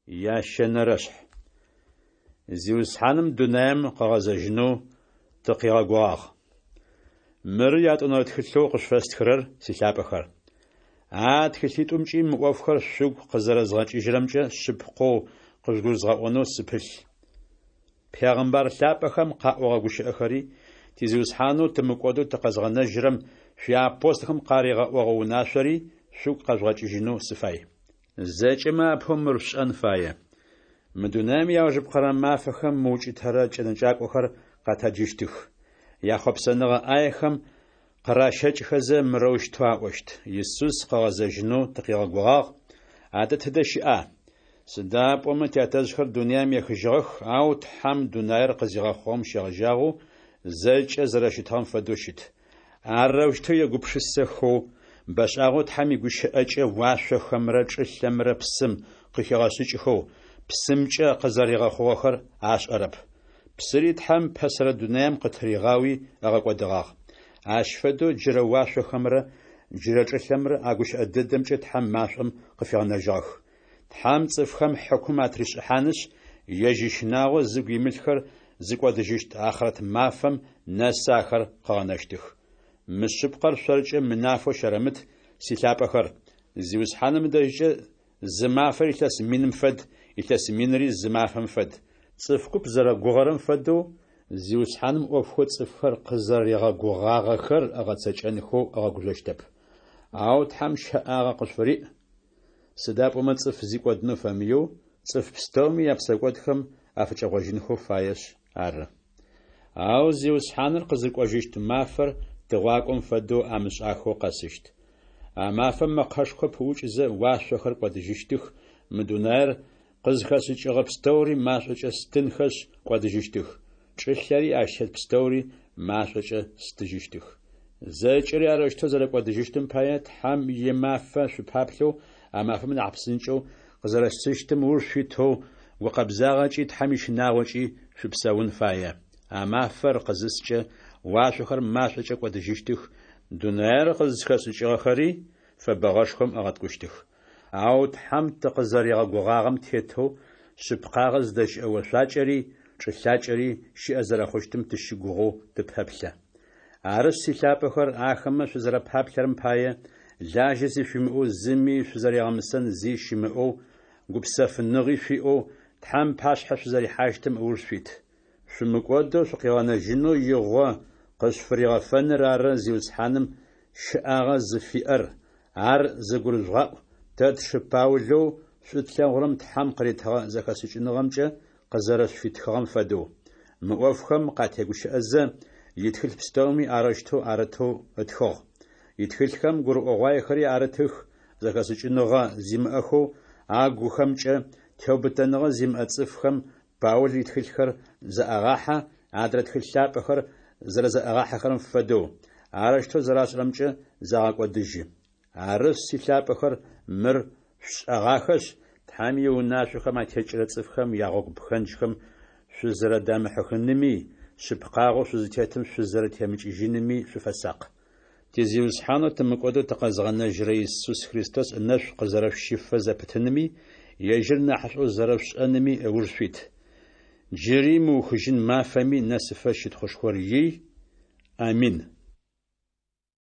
Ящэнэрэшъхь. Зиусхьаным дунаим къыгъэзэжьынэу тыкъигъэгугъагъ. Мыры ятӏонэрэ тхылъэу къышъуфэстхырэр, силъапӏэхэр. А тхылъитӏумкӏи мы ӏофхэр шъугу къызэрэзгъэкӏыжьырэмкӏэ шъыпкъэу къыжъугурызгъэӏонэу сыпылъ. Пегъымбар лъапӏэхэм къаӏогъэ гущыӏэхэри, ти Зиусхьанэу тымыкӏодэу тыкъэзгъэнэжьырэм шъуиапостолхэм къаригъэӏогъэ унашъори шъугу къэжъугъэкӏыжьынэу сыфай. Зэкӏэмэ апэу мыр шъушӏэн фае: мы дунаим иаужыпкъэрэ мафэхэм мыукӏытэрэ кӏэнэкӏакӏохэр къэтэджыщтых. Яхъопсэныгъэ ӏаехэм къыращэкӏхэзэ мырэущтэу аӏощт: Исус къыгъэзэжьынэу тыкъигъэгугъагъ, адэ тыдэ щыӏа? Сыда пӏомэ тятэжъхэр дунаим ехыжьыгъэх, ау Тхьэм дунаир къызигъэхъугъэм щегъэжьагъэу зэкӏэ зэрэщытыгъэм фэдэу щыт. Арэущтэу егупшысэхэу, бэшӏагъэу Тхьэм игущыӏэкӏэ уашъохэмрэ чӏылъэмрэ псым къыхигъэшӏыкӏхэу, псымкӏэ къызэригъэхъугъэхэр ашӏэрэп. Псыри Тхьэм пэсэрэ дунаим къытыригъауи ыгъэкӏодыгъагъ. Ащ фэдэу джырэ уашъохэмрэ джырэ чӏылъэмрэ а гущыӏэ дэдэмкӏэ Тхьэм машӏом къыфигъэнэжьыгъэх. Тхьэм цӏыфхэм хьыкум атришӏыхьанышъ, ежь ищынагъо зыгу имылъхэр зыкӏодыжьыщт ахърэт мафэм нэсы ахэр къыгъэнэщтых. Мы шъыпкъэр шъоркӏэ мынафэу щэрэмыт, силъапӏэхэр: Зиусхьаным ыдэжькӏэ зы мафэр илъэс миным фэд, илъэс минри зы мафэм фэд. Цӏыф куп зэрэгугъэрэм фэдэу, Зиусхьаным ӏофхэу цӏыфхэр къызэригъэгугъагъэхэр ыгъэцэкӏэнхэу ыгъэгужъощтэп. Ау Тхьэм щэӏагъэ къышъуфыриӏ, сыда пӏомэ цӏыф зи кӏодынэу фэмыеу, цӏыф пстэуми япсэкӏодхэм афыкӏэгъожьынхэу фаешъ ары. Ау Зиусхьаныр къызыкӏожьыщт мафэр тыгъуакӏом фэдэу амышӏахэу къэсыщт. А мафэм мэкъэшхо пыӏукӏызэ уашъохэр кӏодыжьыщтых, мы дунаир къызхэшӏыкӏыгъэ пстэури машӏокӏэ стынхэшъ кӏодыжьыщтых, чӏылъэри ащ тет пстэури машӏокӏэ стыжьыщтых. Зэкӏэри арэущтэу зэрэкӏодыжьыщтым пае Тхьэм имафэ шъупаплъэу а мафэм нахь псынкӏэу къызэрэсыщтым ыуж шъуитэу гукъэбзагъэкӏи Тхьэм ищынагъокӏи шъупсэун фае. А мафэр къызыскӏэ, уашъохэр машӏокӏэ кӏодыжьыщтых, дунаир къызхэшӏыкӏыгъэхэри фэбэгъэшхом ыгъэткӏущтых. Ау Тхьэм тыкъызэригъэгугъагъэм тетэу шъыпкъагъэ зыдэщыӏэ ошъуакӏэри чӏылъакӏэри щыӏэ зэрэхъущтым тыщыгугъэу тыпэплъэ. Арышъ, силъапӏэхэр, ахэмэ шъузэрэпаплъэрэм пае, лажьэ зи шъуимыӏэу, зыми шъузэригъэмысэн зи щымыӏэу, гупсэфыныгъи шъуиӏэу, Тхьэм пашъхьэ шъузэрихьащтым ыуж шъуит. Шъумыкӏодэу шъукъигъэнэжьынэу игъо къышъуфыригъэфэныр ары Зиусхьаным щыӏагъэ зыфиӏэр, ар зыгурыжъугъаӏу тэ тшы Паулэу шӏу тлъэгъурэм Тхьэм къыритыгъэ зэхэшӏыкӏыныгъэмкӏэ къызэрэшъуфитхыгъэм фэдэу. Мы ӏофхэм къатегущыӏэзэ, итхылъ пстэуми арэущтэу арытэу ытхыгъ. Итхылъхэм гурыӏогъуаехэри арытых, зэхэшӏыкӏыныгъэ зимыӏэхэу, агухэмкӏэ теубытэныгъэ зимыӏэ цӏыфхэм Паул итхылъхэр зэӏагъахьэ, адрэ тхылъ лъапӏэхэр зэрэзэӏагъахьэхэрэм фэдэу, арэущтэу зэрашӏэрэмкӏэ загъэкӏодыжьы. Арышъ, силъапӏэхэр, мыр шъушӏэгъахэшъ, Тхьэм иунашъохэм атекӏырэ цӏыфхэм ягъогу пхэнджхэм шъузэрэдамыхьыхыными, шъыпкъагъэу шъузытетым шъузэрэтемыкӏыжьыными шъуфэсакъ. Ти Зиусхьанэу тымыкӏодэу тыкъэзгъэнэжьырэ Исус Христос ынэшӏу къызэрэшъущыфэ зэпытыными, ежьыр нахьышӏоу зэрэшъушӏэными ыуж шъуит. Джыри мыухыжьын мафэми нэсыфэ щытхъушхор ий. Амин.